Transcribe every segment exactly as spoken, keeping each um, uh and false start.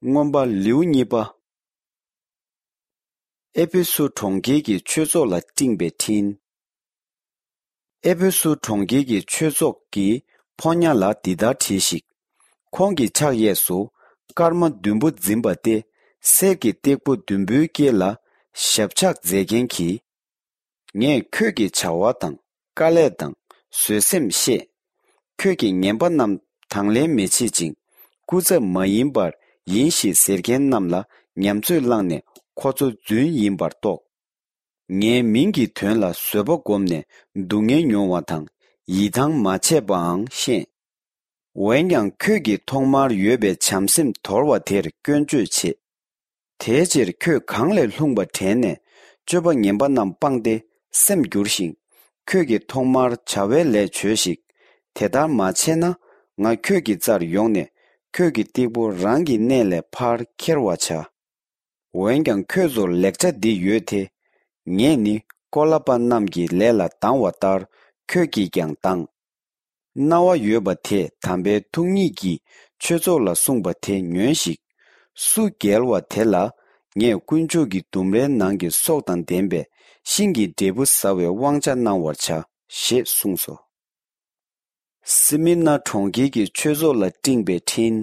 མངོན་པ་ལེའུ་གཉིས་པ། ཨེ་ཕེ་སུ་གྲོང་ཁྱེར་གྱི་ཆོས་ཚོགས་ལ་སྤྲིངས་པའི་འཕྲིན། ཨེ་ཕེ་སུ་གྲོང་ཁྱེར་གྱི་ཆོས་ཚོགས་ཀྱི་ཕོ་ཉ་ལ་འདི་ལྟར་བྲིས་ཤིག་ཁོང་གི་ཕྱག་གཡས་སུ་སྐར་མ་བདུན་པོ་འཛིན་པ་སྟེ། གསེར་གྱི་སྟེགས་བུ་བདུན་པོའི་དཀྱིལ་ལ་ཞབས་ཕྱག་མཛད་མཁན་གྱིས། ངས་ཁྱོད་ཀྱི་བྱ་བ་དང་། དཀའ་ལས་དང་། བཟོད་སེམས་ཤེས། ཁྱོད་ཀྱིས་ངན་པ་རྣམས་དང་ལེན་མི་བྱེད་ཅིང་། སྐུ་ཚབ་མ་ཡིན་པར་ཡིན་ཞེས་ཟེར་མཁན་རྣམས་ལ་ཉམས་ཚོད་བླངས་ནས་ཁོ་ཚོ་རྫུན་ཡིན་པར་རྟོགས། ངའི་མིང་གི་དོན་ལ་བཟོད་པ་བསྒོམས་ནས་སྡུག་བསྔལ་མྱོང་བ་དང་། ཡིད་ཐང་མ་ཆད་པའང་ཤེས། འོན་ཀྱང་ཁྱོད་ཀྱིས་ཐོག་མར་ཡོད་པའི་བྱམས་སེམས་དོར་བ་དེར་སྐྱོན་བརྗོད་བྱེད། དེའི་ཕྱིར་ཁྱོད་གང་ལས་ལྷུང་བ་དྲན་ནས་སྤྱོད་པ་ངན་པ་རྣམས་སྤངས་ཏེ་སེམས་བསྒྱུར་ཞིང་། ཁྱོད་ཀྱིས་ཐོག་མར་བྱ་བའི་ལས་བྱོས་ཤིག་དེ་ལྟར་མ་བྱས་ན། ང་ཁྱོད་ཀྱི་རྩར་ཡོང་ནས་ཁྱོད་ཀྱི་སྟེགས་བུ་རང་གི་གནས་ལས་ཕར་ཁྱེར་བར་བྱ། འོན་ཀྱང་ཁྱོད་ཚོར་ལེགས་ཆ་འདི་ཡོད་དེ། ངས་ནི་ཀོ་ལ་པ་རྣམས་ཀྱི་ལས་ལ་སྡང་བ་ལྟར་ཁྱོད་ཀྱིས་ཀྱང་སྡང་། རྣ་བ་ཡོད་པ་དེས་དམ་པའི་ཐུགས་ཉིད་ཀྱིས་ཆོས་ཚོགས་ལ་གསུངས་པ་དེ་ཉོན་ཞིག་སུ་རྒྱལ་བ་དེ་ལ་ངས་དཀོན་མཆོག་གི་ལྡུམ་རའི་ནང་གི་སྲོག་དང་ལྡན་པའི་ཤིང་གི་འབྲས་བུ་ཟ་བའི་དབང་ཆ་གནང་བར་བྱ། ཞེས་གསུངས་སོ། སི་མི་ན་གྲོང་ཁྱེར་གྱི་ཆོས་ཚོགས་ལ་སྤྲིངས་པའི་འཕྲིན།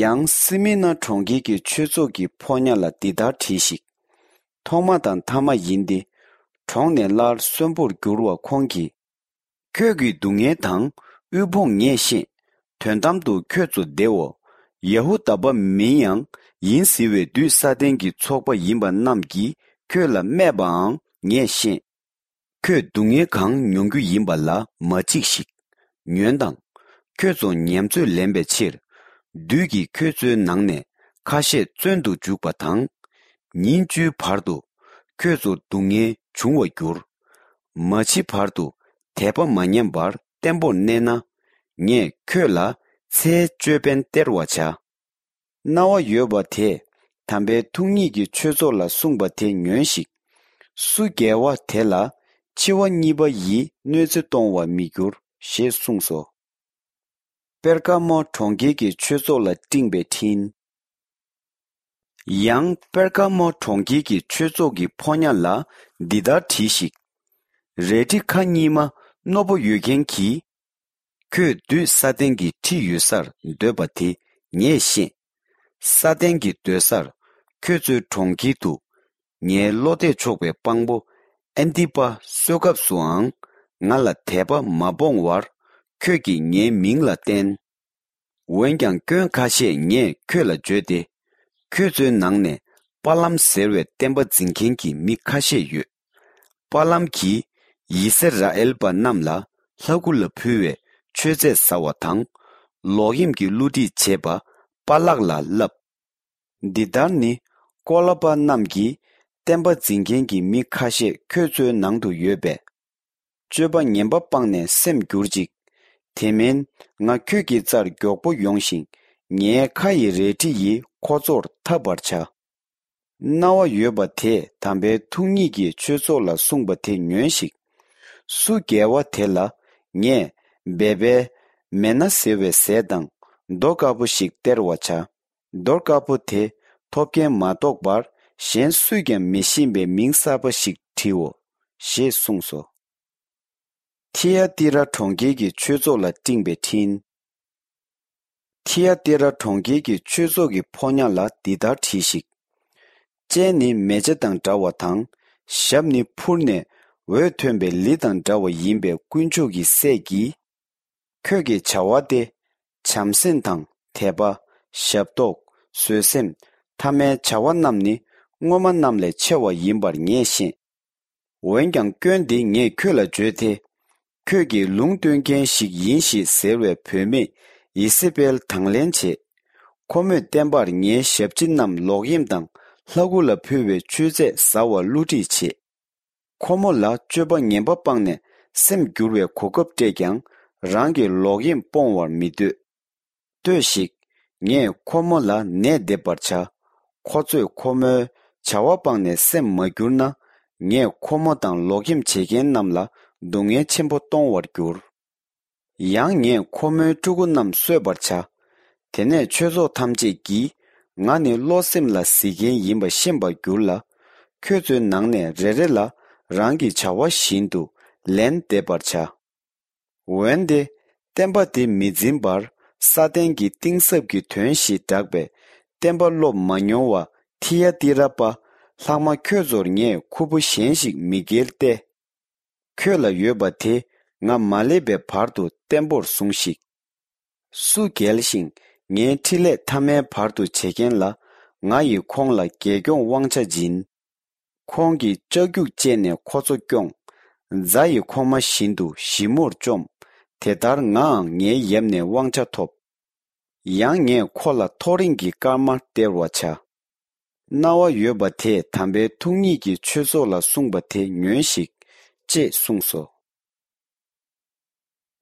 ཡང་སི་མི་ན་གྲོང་ཁྱེར་གྱི་ཆོས་ཚོགས་ཀྱི་ཕོ་ཉ་ལ་འདི་ལྟར་བྲིས་ཤིག་ཐོག་མ་དང་ཐ་མ་ཡིན་ཏེ། གྲོངས་ནས་སླར་གསོན་པོར་འགྱུར་བ་ཁོང་གིས། ཁྱོད་ཀྱི་སྡུག་བསྔལ་དང་དབུལ་ཕོངས་ངས་ཤེས། དོན་དམ་དུ་ཁྱོད་ཚོ་བདེའོ། ཡ་ཧུ་དཱ་པ་མིན་ཡང་ཡིན་ཟེར་བའི་བདུད་ས་ཏན་གྱི་ཚོགས་པ་ཡིན་པ་རྣམས་ཀྱིས་ཁྱོད་ལ་སྨད་པའང་ངས་ཤེས། ཁྱོད་སྡུག་བསྔལ་གང་མྱོང་རྒྱུ་ཡིན་པ་ལ་མ་འཇིགས་ཤིག་ཉོན་དང་། ཁྱོད་ཚོ་ཉམས་ཚོད་ལེན་པའི་ཕྱིར། བདུད་ཀྱིས་ཁྱོད་ཚོའི་ནང་ནས་ཁ་ཤས་བཙོན་དུ་འཇུག་པ་དང་། ཉིན་བཅུའི་བར་དུ་ཁྱོད་ཚོར་སྡུག་བསྔལ་འབྱུང་བར་འགྱུར། མ་འཆི་བར་དུ་དད་པ་མ་ཉམས་པར་བརྟན་པོར་གནས་ན། ངས་ཁྱོད་ལ་ཚེའི་ཅོད་པན་སྟེར་བར་བྱ། རྣ་བ་ཡོད་པ་དེས་དམ་པའི་ཐུགས་ཉིད་ཀྱི་ཆོས་ཚོགས་ལ་གསུངས་པ་དེ་ཉོན་ཞིག་སུ་རྒྱལ་བ་དེ་ལ་འཆི་བ་གཉིས་པ་ཡིས་གནོད་འཚེ་གཏོང་བར་མི་འགྱུར། ཞེས་གསུངས་སོ། པེར་ག་མོ་གྲོང་ཁྱེར་གྱི་ཆོས་ཚོགས་ལ་སྤྲིངས་པའི་འཕྲིན། ཡང་པེར་ག་མོ་གྲོང་ཁྱེར་གྱི་ཆོས་ཚོགས་ཀྱི་ཕོ་ཉ་ལ་འདི་ལྟར་བྲིས་ཤིག་རལ་གྲི་ཁ་གཉིས་མ་རྣོ་པོ་ཡོད་མཁན་གྱིས། ཁྱོད་བདུད་ས་ཏན་གྱི་ཁྲི་ཡོད་སར་སྡོད་པ་དེ་ངས་ཤེས། ས་ཏན་གྱི་སྡོད་སར་ཁྱོད་ཚོའི་གྲོང་ཁྱེར་དུ། ངའི་བློ་གཏད་ཆོག་པའི་དཔང་པོ་ཨན་ཏི་པ་གསོལ་སྐབས་སུའང་ང་ལ་དད་པ་མ་སྤོང་བར་ཁྱོད་ཀྱིས་ངའི་མིང་ལ་བསྟན། འོན་ཀྱང་སྐྱོན་ཁ་ཤས་ངས་ཁྱོད་ལ་བརྗོད་དེ། ཁྱོད་ཚོའི་ནང་ནས་པ་ལམ་ཟེར་བའི་བསྟན་པ་འཛིན་མཁན་གྱི་མི་ཁ་ཤས་ཡོད། པ་ལམ་གྱིས་ཡི་སི་ར་ཨེལ་པ་རྣམས་ལ་ལྷ་སྐུ་ལ་ཕུལ་བའི་མཆོད་རྫས་ཟ་བ་དང་། ལོག་གཡེམ་གྱི་བསླུ་བྲིད་བྱེད་པ་པ་ལག་ལ་བསླབས། འདི་ལྟར་ནི་ཀོ་ལ་པ་རྣམས་ཀྱིས་བསྟན་པ་འཛིན་མཁན་གྱི་མི་ཁ་ཤས་ཁྱོད་ཚོའི་ནང་དུ་ཡོད་པས། སྤྱོད་པ་ངན་པ་སྤངས་ནས་སེམས་བསྒྱུར་ཅིག་དེ་མིན་ང་ཁྱོད་ཀྱི་རྩར་མགྱོགས་པོ་ཡོང་ཞིང་ངའི་ཁ་ཡི་རལ་གྲི་ཡིས་ཁོ་ཚོར་འཐབ་པར་བྱ། རྣ་བ་ཡོད་པ་དེས་དམ་པའི་ཐུགས་ཉིད་ཀྱི་ཆོས་ཚོགས་ལ་གསུངས་པ་དེ་ཉོན་ཞིག་སུ་རྒྱལ་བ་དེ་ལ་ངས་སྦས་པའི་མེ་སྣ་ཟེར་བའི་ཟས་དང་རྡོ་དཀར་པོ་ཞིག་སྟེར་བར་བྱ། རྡོ་དཀར་པོ་དེ་ཐོབ་མཁན་མ་གཏོགས་པར་གཞན་སུས་ཀྱང་མི་ཤེས་པའི་མིང་གསར་པ་ཞིག་བྲིའོ། ཞེས་གསུངས་སོ། ཐི་ཡ་ཏི་ར་གྲོང་ཁྱེར་གྱི་ཆོས་ཚོགས་ལ་སྤྲིངས་པའི་འཕྲིན། ཐི་ཡ་ཏི་ར་གྲོང་ཁྱེར་གྱི་ཆོས་ཚོགས་ཀྱི་ཕོ་ཉ་ལ་འདི་ལྟར་བྲིས་ཤིག་སྤྱན་ནི་མེ་ལྕེ་དང་འདྲ་བ་དང་། ཞབས་ནི་འཕུར་ནས་འོད་ཐོན་པའི་ལི་དང་འདྲ་བ་ཡིན་པའི་དཀོན་མཆོག་གི་སྲས་ཀྱིས། ཁྱོད་ཀྱི་བྱ་བ་སྟེ། བྱམས་སེམས་དང་དད་པ། ཞབས་ཏོག་བཟོད་སེམས། ཐ་མའི་བྱ་བ་རྣམས་ནི་སྔོན་མ་རྣམས་ལས་ཆེ་བ་ཡིན་པར་ངས་ཤེས། འོན་ཀྱང་སྐྱོན་འདི་ངས་ཁྱོད་ལ་བརྗོད་དེ། ཁྱོད་ཀྱིས་ལུང་སྟོན་མཁན་ཞིག་ཡིན་ཞེས་ཟེར་བའི་བུད་མེད་ཡེ་སེ་བེལ་དང་ལེན་བྱེད། ཁོ་མོས་བསྟན་པར་ངའི་ཞབས་ཕྱི་རྣམས་ལོག་གཡེམ་དང་ལྷ་སྐུ་ལ་ཕུལ་བའི་མཆོད་རྫས་ཟ་བར་བསླུ་བྲིད་བྱེད། ཁོ་མོ་ལ་སྤྱོད་པ་ངན་པ་སྤངས་ནས་སེམས་བསྒྱུར་བའི་གོ་སྐབས་སྤྲད་ཀྱང་རང་གི་ལོག་གཡེམ་སྤོང་བར་མི་འདོད། ལྟོས་ཤིག་ངས་ཁོ་མོ་ལ་ནད་འདེབས་པར་བྱ། ཁོ་ཚོས་ཁོ་མོའི་བྱ་བ་སྤངས་ནས་སེམས་མ་བསྒྱུར་ན། ངས་ཁོ་མོ་དང་ལོག་གཡེམ་བྱེད་མཁན་རྣམས་ལ་སྡུག་བསྔལ་ཆེན་པོ་གཏོང་བར་འགྱུར། ཡང་ངས་ཁོ་མོའི་ཕྲུ་གུ་རྣམས་གསོད་པར་བྱ། དེ་ནས་ཆོས་ཚོགས་ཐམས་ཅད་ཀྱིས། ང་ནི་བློ་སེམས་ལ་གཟིགས་མཁན་ཡིན་པ་ཤེས་པར་འགྱུར་ལ། ཁྱོད་ཚོའི་ནང་ནས་རེ་རེ་ལ་རང་གི་བྱ་བ་བཞིན་དུ་ལན་འདེབས་པར་བྱ། འོན་ཏེ། བསྟན་པ་འདི་མི་འཛིན་པར་ས་སྟེང་གི་གཏིང་ཟབ་ཀྱི་དོན་ཞེས་གྲགས་པའི་བསྟན་པ་སློབ་མ་མྱོང་བ་ཐི་ཡ་ཏི་ར་པ་ལྷག་མ་ཁྱོད་ཚོར་ངས་ཁུར་པོ་གཞན་ཞིག་མི་འགེལ་ཏེ། ཁྱོད་ལ་ཡོད་པ་དེ་ང་མ་སླེབས་པའི་བར་དུ་བརྟན་པོར་ཟུངས་ཤིག། སུ་རྒྱལ་ཞིང་ངའི་འཕྲིན་ལས་ཐ་མའི་བར་དུ་བྱེད་མཁན་ལ། ང་ཡིས་ཁོང་ལ་རྒྱལ་སྐྱོང་དབང་ཆ་སྦྱིན། ཁོང་གིས་ལྕགས་རྒྱུག་བཅད་ནས་ཁོ་ཚོ་སྐྱོང་། རྫ་ཡི་ཁོག་མ་བཞིན་དུ་ཞིབ་མོར་བཅོམ། དེ་ལྟར་ངའང་ངའི་ཡབ་ནས་དབང་ཆ་ཐོབ། ཡང་ངས་ཁོ་ལ་ཐོ་རེངས་ཀྱི་སྐར་མ་སྟེར་བར་བྱ། རྣ་བ་ཡོད་པ་དེས་དམ་པའི་ཐུགས་ཉིད་ཀྱིས་ཆོས་ཚོགས་ལ་གསུངས་པ་དེ་ཉོན་ཞིག། ཅེས་གསུངས་སོ།